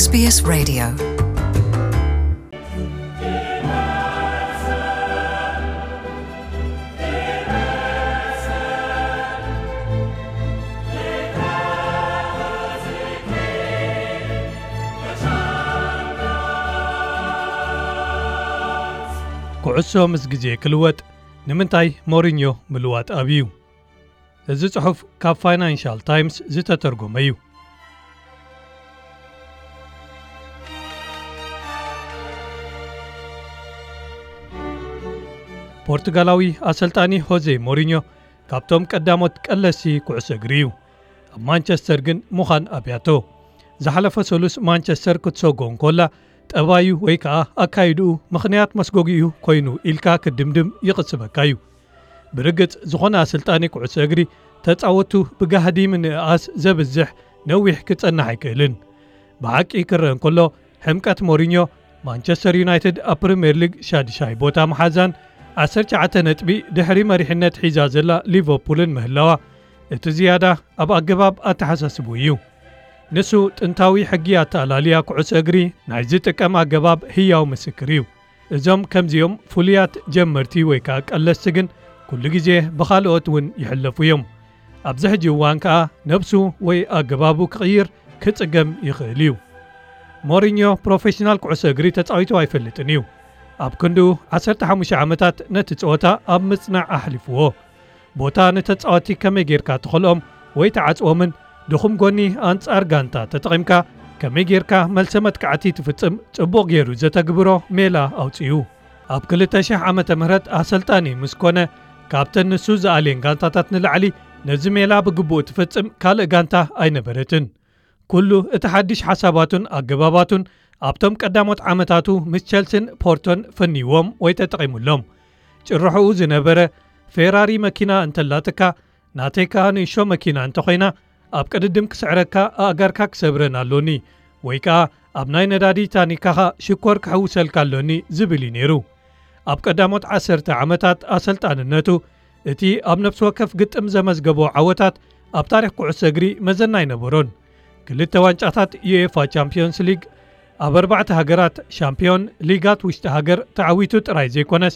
S B S Radio. ኩዕሶ ምስ ግዜ ክልወጥ ንምንታይ ሞሪኞ ምልዋጥ ኣብዩ? እዚ ጽሑፍ ካብ ፋይናንሻል ታይምስ ዝተተርጎመ እዩ። ፖርቱጋላዊ ኣሰልጣኒ ሆዜ ሞሪኞ ካብቶም ቀዳሞት ቀለሲ ኩዕሶ እግሪ እዩ። ኣብ ማንቸስተር ግን ምዃን ኣብያቶ። ዝሓለፈ ሰሉስ ማንቸስተር ክትሰጎ እንኮላ ጠባዩ ወይ ከኣ ኣካይድኡ ምኽንያት መስጎጊኡ ኮይኑ ኢልካ ክትድምድም ይቕስበካ እዩ። ብርግጽ ዝኾነ ኣሰልጣኒ ኩዕሶ እግሪ ተጻወቱ ብጋህዲ ምንእኣስ ዘብዝሕ ነዊሕ ክጸንሕ ኣይክእልን። ብሓቂ ክረአ እንከሎ ሕምቀት ሞሪኞ ማንቸስተር ዩናይትድ ኣብ ፕሪምየር ሊግ ሻድሻይ ቦታ መሓዛን ዓሰርተ ትሽዓተ ነጥቢ ድሕሪ መሪሕነት ሒዛ ዘላ ሊቨርፑልን ምህላዋ እቲ ዝያዳ ኣብ ኣገባብ ኣተሓሳስቡ እዩ። ንሱ ጥንታዊ ሕጊ ኣተኣላልያ ኩዕሶ እግሪ ናይ ዝጥቀም ኣገባብ ህያው ምስክር እዩ። እዞም ከምዚኦም ፍሉያት ጀመርቲ ወይ ከኣ ቀለስቲ ግን ኩሉ ግዜ ብኻልኦት እውን ይሕለፉ እዮም። ኣብዚ ሕጂ እዋን ከኣ ነብሱ ወይ ኣገባቡ ክቕይር ክጽገም ይኽእል እዩ። ሞሪኞ ፕሮፌሽናል ኩዕሶ እግሪ ተጻዊቱ ኣይፈልጥን እዩ። ኣብ ክንድኡ ዓሰርተ ሓሙሽተ ዓመታት ነቲ ጸወታ ኣብ ምጽናዕ ኣሕሊፍዎ። ቦታ ንተጻወቲ ከመይ ጌርካ ትኸልኦም ወይ ትዓጽዎምን ድኹም ጎኒ ኣንጻር ጋንታ ተጠቒምካ ከመይ ጌርካ መልሰ መጥቃዕቲ ትፍጽም ጽቡቕ ጌሩ ዘተግብሮ ሜላ ኣውጺኡ። ኣብ ክልተ ሺሕ ዓመተ ምህረት ኣሰልጣኒ ምስ ኮነ ካብተን ንሱ ዝኣልየን ጋንታታት ንላዕሊ ነዚ ሜላ ብግቡእ ትፍጽም ካልእ ጋንታ ኣይነበረትን። ኩሉ እቲ ሓድሽ ሓሳባቱን ኣገባባቱን ኣብቶም ቀዳሞት ዓመታቱ ምስ ቸልሲን ፖርቶን ፈንይዎም ወይ ተጠቒሙሎም። ጭርሖኡ ዝነበረ ፌራሪ መኪና እንተላትካ ናተይ ከኣ ንእሾ መኪና እንተኾይና ኣብ ቅድድም ክስዕረካ ኣእጋርካ ክሰብረን ኣሎኒ ወይ ከኣ ኣብ ናይ ነዳዲ ታኒካኻ ሽኮር ክሕውሰልካ ኣሎኒ ዝብል እዩ ነይሩ። ኣብ ቀዳሞት ዓሰርተ ዓመታት ኣሰልጣንነቱ እቲ ኣብ ነፍሲ ወከፍ ግጥም ዘመዝገቦ ዓወታት ኣብ ታሪኽ ኩዕሶ እግሪ መዘና ኣይነበሮን። ክልተ ዋንጫታት ዩኤፋ ቻምፒዮንስ ሊግ ኣብ ኣርባዕተ ሃገራት ሻምፒዮን ሊጋት ውሽጢ ሃገር ተዓዊቱ ጥራይ ዘይኮነስ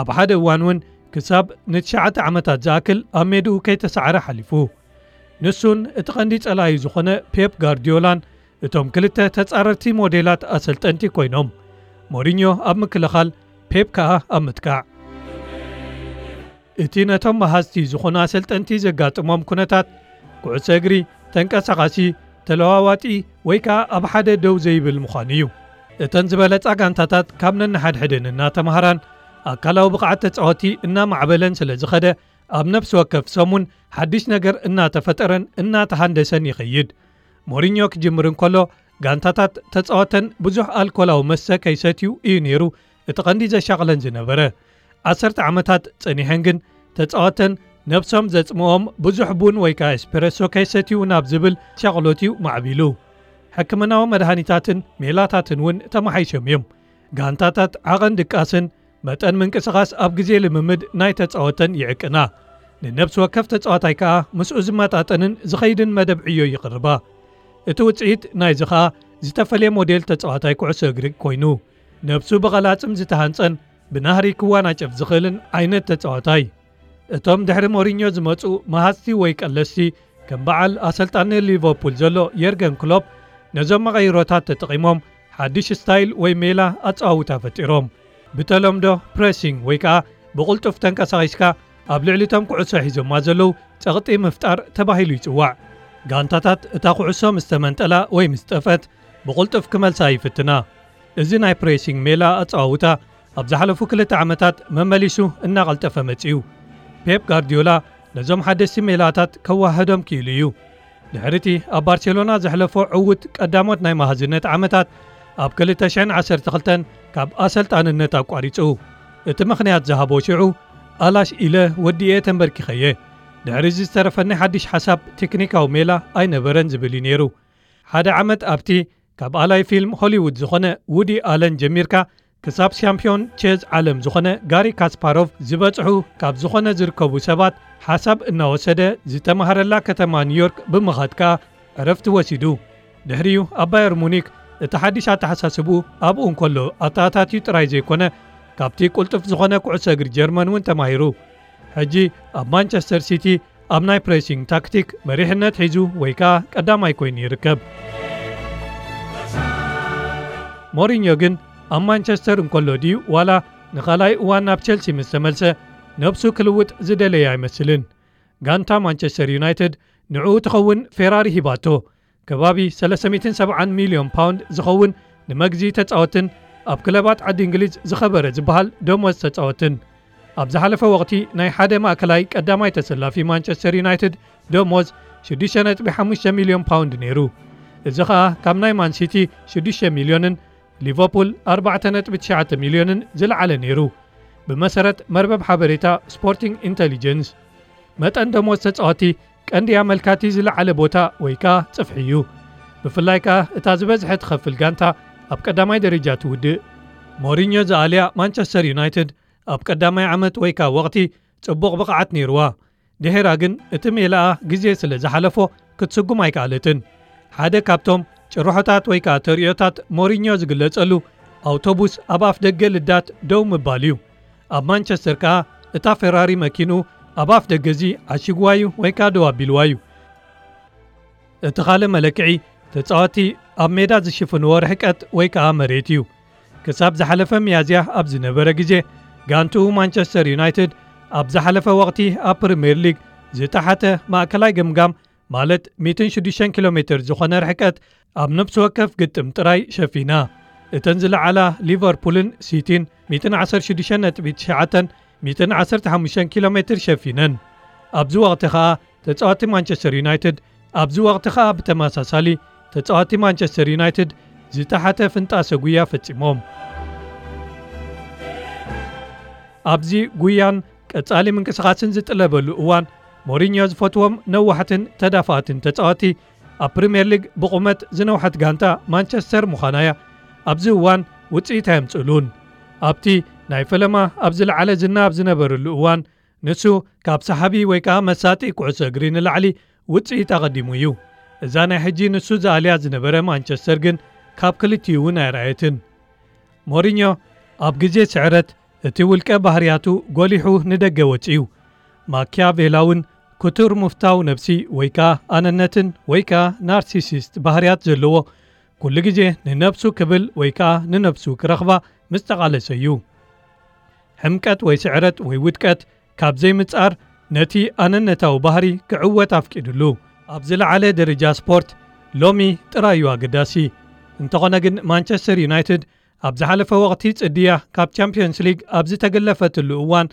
ኣብ ሓደ እዋን እውን ክሳብ ንትሽዓተ ዓመታት ዝኣክል ኣብ ሜድኡ ከይተሳዕረ ሓሊፉ። ንሱን እቲ ቀንዲ ጸላዩ ዝኾነ ፔፕ ጋርዲዮላን እቶም ክልተ ተጻረርቲ ሞዴላት ኣሰልጠንቲ ኮይኖም፣ ሞሪኞ ኣብ ምክልኻል፣ ፔፕ ከኣ ኣብ ምጥቃዕ። እቲ ነቶም መሃዝቲ ዝኾኑ ኣሰልጠንቲ ዘጋጥሞም ኩነታት፣ ኩዕሶ እግሪ ተንቀሳቓሲ፣ ተለዋዋጢ ወይ ከኣ ኣብ ሓደ ደው ዘይብል ምዃኑ እዩ። እተን ዝበለጻ ጋንታታት ካብ ነንሓድሕደን እናተማሃራን ኣካላዊ ብቕዓት ተጻወቲ እናማዕበለን ስለ ዝኸደ፣ ኣብ ነፍሲ ወከፍ ሰሙን ሓድሽ ነገር እናተፈጠረን እናተሃንደሰን ይኸይድ። ሞሪኞ ክጅምር እንከሎ፣ ጋንታታት ተጻወተን ብዙሕ ኣልኮላዊ መስተ ከይሰትዩ እዩ ነይሩ እቲ ቀንዲ ዘሻቕለን ዝነበረ። ዓሰርተ ዓመታት ጸኒሐን ግን ተጻወተን ነብሶም ዘጽምኦም ብዙሕ ቡን ወይ ከኣ ኤስፕሬሶ ከይሰትዩ ናብ ዝብል ሻቕሎት እዩ ማዕቢሉ። ሕክምናዊ መድሃኒታትን ሜላታትን እውን ተመሓይሾም እዮም። ጋንታታት ዓቐን ድቃስን መጠን ምንቅስቓስ ኣብ ግዜ ልምምድ ናይ ተጻወተን ይዕቅና። ንነብሲ ወከፍ ተጻዋታይ ከኣ ምስኡ ዝመጣጠንን ዝኸይድን መደብ ዕዮ ይቕርባ። እቲ ውጽኢት ናይዚ ከኣ ዝተፈልየ ሞዴል ተጻዋታይ ኩዕሶ እግሪ ኮይኑ፣ ነብሱ ብቐላጽም ዝተሃንጸን ብናህሪ ክዋናጨፍ ዝኽእልን ዓይነት ተጻዋታይ። እቶም ድሕሪ ሞሪኞ ዝመጹ መሃዝቲ ወይ ቀለስቲ፣ ከም በዓል ኣሰልጣኒ ሊቨርፑል ዘሎ የርገን ክሎፕ፣ ነዞም መቐይሮታት ተጠቒሞም ሓድሽ ስታይል ወይ ሜላ ኣጸዋውታ ፈጢሮም። ብተለምዶ ፕሬሲንግ ወይ ከኣ ብቕልጡፍ ተንቀሳቒስካ ኣብ ልዕሊ እቶም ኩዕሶ ሒዞማ ዘለዉ ጸቕጢ ምፍጣር ተባሂሉ ይጽዋዕ። ጋንታታት እታ ኩዕሶ ምስ ተመንጠላ ወይ ምስ ጠፍአት ብቕልጡፍ ክመልሳ ይፍትና። እዚ ናይ ፕሬሲንግ ሜላ ኣጸዋውታ ኣብ ዝሓለፉ ክልተ ዓመታት መመሊሱ እናቐልጠፈ መጺኡ። ፔፕ ጋርዲዮላ ነዞም ሓደስቲ ሜላታት ከዋህዶም ክኢሉ እዩ። ድሕሪ እቲ ኣብ ባርሴሎና ዘሕለፎ ዕዉት ቀዳሞት ናይ መሃዝነት ዓመታት፣ ኣብ ክልተ ሽሕን ዓሰርተ ክልተን ካብ ኣሰልጣንነት ኣቋሪጹ። እቲ ምኽንያት ዝሃቦ ሽዑ፣ ኣላሽ ኢለ ወዲኤ ተንበርኪኸየ። ድሕሪ እዚ ዝተረፈኒ ሓድሽ ሓሳብ ቴክኒካዊ ሜላ ኣይነበረን ዝብል እዩ ነይሩ። ሓደ ዓመት ኣብቲ ካብ ኣላይ ፊልም ሆሊውድ ዝኾነ ውዲ ኣለን ጀሚርካ ክሳብ ሻምፒዮን ቼዝ ዓለም ዝኾነ ጋሪ ካስፓሮቭ ዝበጽሑ ካብ ዝኾነ ዝርከቡ ሰባት ሓሳብ እናወሰደ ዝተማሃረላ ከተማ ኒውዮርክ ብምኻድ ከኣ ዕረፍቲ ወሲዱ። ድሕሪኡ ኣብ ባየር ሙኒክ እቲ ሓድሽ ኣተሓሳስብኡ ኣብኡ እንከሎ ኣተኣታትዩ ጥራይ ዘይኮነ፣ ካብቲ ቅልጡፍ ዝኾነ ኩዕሶ እግሪ ጀርመን እውን ተማሂሩ። ሕጂ ኣብ ማንቸስተር ሲቲ ኣብ ናይ ፕሬሲንግ ታክቲክ መሪሕነት ሒዙ ወይ ከኣ ቀዳማይ ኮይኑ ይርከብ። ሞሪኞ ግን ኣብ ማንቸስተር እንከሎ ድዩ ዋላ ንኻልኣይ እዋን ናብ ቸልሲ ምስ ተመልሰ ነብሱ ክልውጥ ዝደለየ ኣይመስልን። ጋንታ ማንቸስተር ዩናይትድ ንዕኡ ትኸውን ፌራሪ ሂባቶ። ከባቢ ሰለስተ ሚእትን ሰብዓን ሚልዮን ፓውንድ ዝኸውን ንመግዚ ተጻወትን ኣብ ክለባት ዓዲ እንግሊዝ ዝኸበረ ዝበሃል ደሞዝ ተጻወትን። ኣብ ዝሓለፈ ወቕቲ ናይ ሓደ ማእከላይ ቀዳማይ ተሰላፊ ማንቸስተር ዩናይትድ ደሞዝ ሽዱሽተ ነጥቢ ሓሙሽተ ሚልዮን ፓውንድ ነይሩ። እዚ ኸኣ ካብ ናይ ማን ሲቲ ሽዱሽተ ሚልዮንን ሊቨርፑል ኣርባዕተ ነጥቢ ትሽዓተ ሚልዮንን ዝለዓለ ነይሩ። ብመሰረት መርበብ ሓበሬታ ስፖርቲንግ ኢንተሊጀንስ፣ መጠን ደሞዝ ተጻወቲ ቀንዲ ኣመልካቲ ዝለዓለ ቦታ ወይ ከኣ ጽፍሒ እዩ። ብፍላይ ከኣ እታ ዝበዝሐ ትኸፍል ጋንታ ኣብ ቀዳማይ ደረጃ ትውድእ። ሞሪኞ ዝኣልያ ማንቸስተር ዩናይትድ ኣብ ቀዳማይ ዓመት ወይ ከኣ ወቕቲ ጽቡቕ ብቕዓት ነይርዋ። ድሒራ ግን እቲ ሜላኣ ግዜ ስለ ዝሓለፎ ክትስጉም ኣይከኣለትን። ሓደ ካብቶም ጭርሖታት ወይ ከኣ ተርእዮታት ሞሪኞ ዝግለጸሉ ኣውቶቡስ ኣብ ኣፍ ደገ ልዳት ደው ምባል እዩ። ኣብ ማንቸስተር ከኣ እታ ፌራሪ መኪንኡ ኣብ ኣፍ ደገ እዚ ዓሺግዋ እዩ ወይ ከኣ ደው ኣቢልዋ እዩ። እቲ ካልእ መለክዒ ተጻወቲ ኣብ ሜዳ ዝሽፍንዎ ርሕቀት ወይ ከኣ መሬት እዩ። ክሳብ ዝሓለፈ ሚያዝያ ኣብ ዝነበረ ግዜ ጋንትኡ ማንቸስተር ዩናይትድ ኣብ ዝሓለፈ ወቕቲ ኣብ ፕሪምየር ሊግ ዝተሓተ ማእከላይ ገምጋም ማለት ሚእትን ሽዱሽተን ኪሎ ሜትር ዝኾነ ርሕቀት ኣብ ነፍሲ ወከፍ ግጥም ጥራይ ሸፊና። እተን ዝለዓላ ሊቨርፑልን ሲቲን ሚእትን ዓሰርተ ሽዱሽተ ነጥቢ ትሽዓተን ሚእትን ዓሰርተ ሓሙሽተን ኪሎ ሜትር ሸፊነን። ኣብዚ ወቕቲ ኸኣ ተጻዋቲ ማንቸስተር ዩናይትድ ኣብዚ ወቕቲ ኸኣ ብተመሳሳሊ ተጻዋቲ ማንቸስተር ዩናይትድ ዝተሓተ ፍንጣሰ ጉያ ፈጺሞም። ኣብዚ ጉያን ቀጻሊ ምንቅስቓስን ዝጥለበሉ እዋን ሞሪኞ ዝፈትዎም ነዋሕትን ተዳፋእትን ተጻዋቲ ኣብ ፕሪምየር ሊግ ብቑመት ዝነውሐት ጋንታ ማንቸስተር ምዃና እያ። ኣብዚ እዋን ውጽኢት ኣየምጽእሉን። ኣብቲ ናይ ፈለማ ኣብ ዝለዓለ ዝና ኣብ ዝነበረሉ እዋን ንሱ ካብ ሰሓቢ ወይ ከኣ መሳጢ ኩዕሶ እግሪ ንላዕሊ ውጽኢት ኣቐዲሙ እዩ። እዛ ናይ ሕጂ ንሱ ዝኣልያ ዝነበረ ማንቸስተር ግን ካብ ክልቲኡ እውን ኣይረኣየትን። ሞሪኞ ኣብ ግዜ ስዕረት እቲ ውልቀ ባህርያቱ ጎሊሑ ንደገ ወጺኡ። ማኪያቬላውን ክቱር ምፍታው ነብሲ ወይ ከኣ ኣነነትን ወይ ከኣ ናርሲሲስት ባህርያት ዘለዎ ኩሉ ግዜ ንነብሱ ክብል ወይ ከኣ ንነብሱ ክረኽባ ምስ ተቓለሰ እዩ። ሕምቀት ወይ ስዕረት ወይ ውድቀት ካብ ዘይምጻር ነቲ ኣነነታዊ ባህሪ ክዕወት ኣፍቂዱሉ። ኣብ ዝለዓለ ደረጃ ስፖርት ሎሚ ጥራይ እዩ ኣገዳሲ። እንተኾነ ግን ማንቸስተር ዩናይትድ ኣብ ዝሓለፈ ወቕቲ ጽድያ ካብ ቻምፕዮንስ ሊግ ኣብ ዝተገለፈትሉ እዋን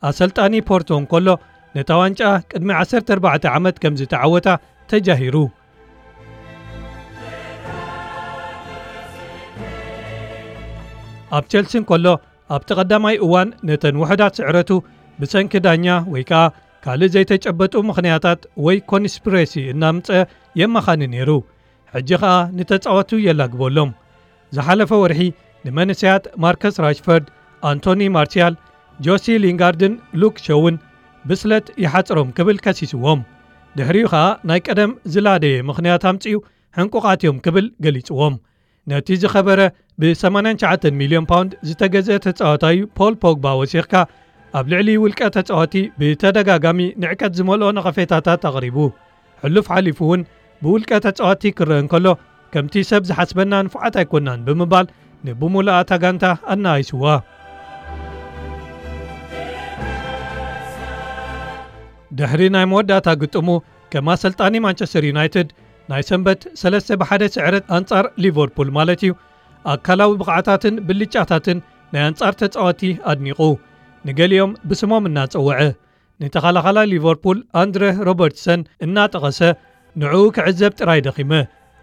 ኣሰልጣኒ ፖርቶ እንከሎ ነታ ዋንጫ ቅድሚ ዓሰርተ ኣርባዕተ ዓመት ከም ዝተዓወታ ተጃሂሩ። ኣብ ቸልሲ እንከሎ ኣብቲ ቀዳማይ እዋን ነተን ውሑዳት ስዕረቱ ብሰንኪ ዳኛ ወይ ከኣ ካልእ ዘይተጨበጡ ምኽንያታት ወይ ኮንስፒሬሲ እናምጸ የመኻኒ ነይሩ። ሕጂ ኸኣ ንተጻወቱ የላግበሎም። ዝሓለፈ ወርሒ ንመንእሰያት ማርከስ ራሽፈርድ፣ ኣንቶኒ ማርሲያል፣ ጆሲ ሊንጋርድን ሉክ ሾውን ብስለት ይሓጽሮም ክብል ከሲስዎም። ድሕሪኡ ኸኣ ናይ ቀደም ዝላደየ ምኽንያት ኣምጺኡ ሕንቁቓት እዮም ክብል ገሊጽዎም። ነቲ ዝኸበረ ብ ሰማንያን ትሽዓተን ሚልዮን ፓውንድ ዝተገዝአ ተጻዋታይ ፖል ፖግባ ወሲኽካ ኣብ ልዕሊ ውልቀ ተጻዋቲ ብተደጋጋሚ ንዕቀት ዝመልኦ ነቐፌታታት ኣቕሪቡ። ሕሉፍ ሓሊፉ እውን ብውልቀ ተጻዋቲ ክረአ እንከሎ ከምቲ ሰብ ዝሓስበና ንፉዓት ኣይኮናን ብምባል ንብሙሉኣ እታ ጋንታ ኣነኣይስዋ። ድሕሪ ናይ መወዳእታ ግጥሙ ከም ኣሰልጣኒ ማንቸስተር ዩናይትድ ናይ ሰንበት ሰለስተ ብሓደ ስዕረት ኣንጻር ሊቨርፑል ማለት እዩ ኣካላዊ ብቕዓታትን ብልጫታትን ናይ ኣንጻር ተጻወቲ ኣድኒቑ። ንገሊኦም ብስሞም እናጸወዐ ንተኸላኻላይ ሊቨርፑል ኣንድረ ሮበርትሰን እናጠቐሰ ንዕኡ ክዕዘብ ጥራይ ደኺመ።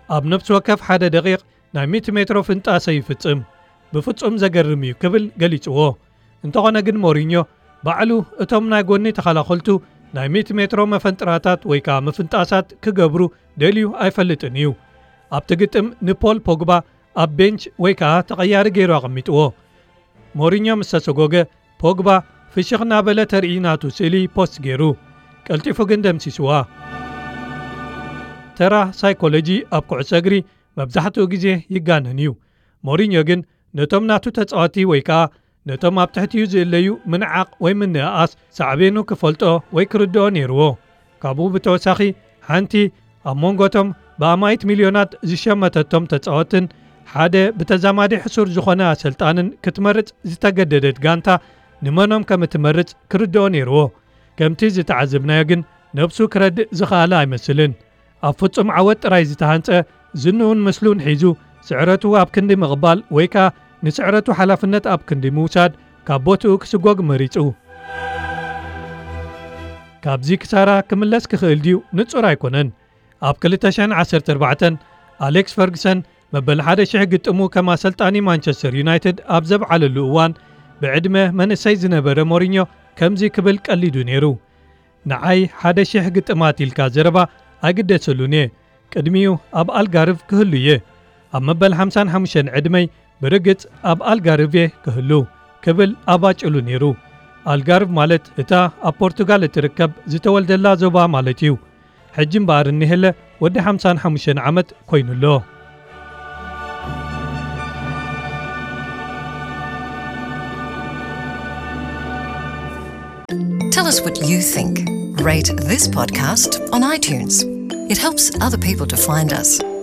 ኣብ ነፍሲ ወከፍ ሓደ ደቂቕ ናይ ሚእቲ ሜትሮ ፍንጣሰ ይፍጽም። ብፍጹም ዘገርም እዩ ክብል ገሊጽዎ። እንተኾነ ግን ሞሪኞ ባዕሉ እቶም ናይ ጎኒ ተኸላኸልቱ ናይ ሚእቲ ሜትሮ መፈንጥራታት ወይ ከኣ ምፍንጣሳት ክገብሩ ደልዩ ኣይፈልጥን እዩ። ኣብቲ ግጥም ንፖል ፖግባ ኣብ ቤንች ወይ ከኣ ተቐያሪ ገይሩ ኣቐሚጥዎ። ሞሪኞ ምስ ተሰጎገ ፖግባ ፍሽኽ እናበለ ተርኢ ናቱ ስእሊ ፖስት ገይሩ። ቀልጢፉ ግን ደምሲስዋ። ተራ ሳይኮሎጂ ኣብ ኩዕሶ እግሪ መብዛሕትኡ ግዜ ይጋነን እዩ። ሞሪኞ ግን ነቶም ናቱ ተጻወቲ ወይ ከኣ ነቶም ኣብ ትሕቲኡ ዝእለዩ ምንዓቕ ወይ ምንእኣስ ሳዕቤኑ ክፈልጦ ወይ ክርድኦ ነይርዎ። ካብኡ ብተወሳኺ፣ ሓንቲ ኣብ መንጎቶም ብኣማኢት ሚልዮናት ዝሸመተቶም ተጻወትን ሓደ ብተዛማዲ ሕሱር ዝኾነ ኣሰልጣንን ክትመርጽ ዝተገደደት ጋንታ ንመኖም ከም እትመርጽ ክርድኦ ነይርዎ። ከምቲ ዝተዓዘብናዮ ግን፣ ነብሱ ክረድእ ዝኸኣለ ኣይመስልን። ኣብ ፍጹም ዓወት ጥራይ ዝተሃንጸ፣ ዝንኡን ምስሉን ሒዙ፣ ስዕረቱ ኣብ ክንዲ ምቕባል ወይ ከኣ ንስዕረቱ ሓላፍነት ኣብ ክንዲ ምውሳድ፣ ካብ ቦትኡ ክስጎግ መሪጹ። ካብዚ ክሳራ ክምለስ ክኽእል ድዩ ንጹር ኣይኮነን። ኣብ ክልተ ሽሕን ዓሰርተ ኣርባዕተን ኣሌክስ ፈርግሰን መበል ሓደ ሽሕ ግጥሙ ከም ኣሰልጣኒ ማንቸስተር ዩናይትድ ኣብ ዘብዓለሉ እዋን፣ ብዕድመ መንእሰይ ዝነበረ ሞሪኞ ከምዚ ክብል ቀሊዱ ነይሩ። ንዓይ ሓደ ሽሕ ግጥማት ኢልካ ዘረባ ኣይግደሰሉን እየ። ቅድሚኡ ኣብ ኣልጋርቭ ክህሉ እየ። ኣብ መበል ሓምሳን ሓሙሽተን ዕድመይ ብርግጽ ኣብ ኣልጋርቭ እየ ክህሉ ክብል ኣባጭሉ ነይሩ። ኣልጋርቭ ማለት እታ ኣብ ፖርቱጋል እትርከብ ዝተወልደላ ዞባ ማለት እዩ። ሕጂ እምበኣር እኒሄለ ወዲ ሓምሳን ሓሙሽተን ዓመት ኮይኑ ኣሎ። Tell us what you think. Rate this podcast on iTunes. It helps other people to find us.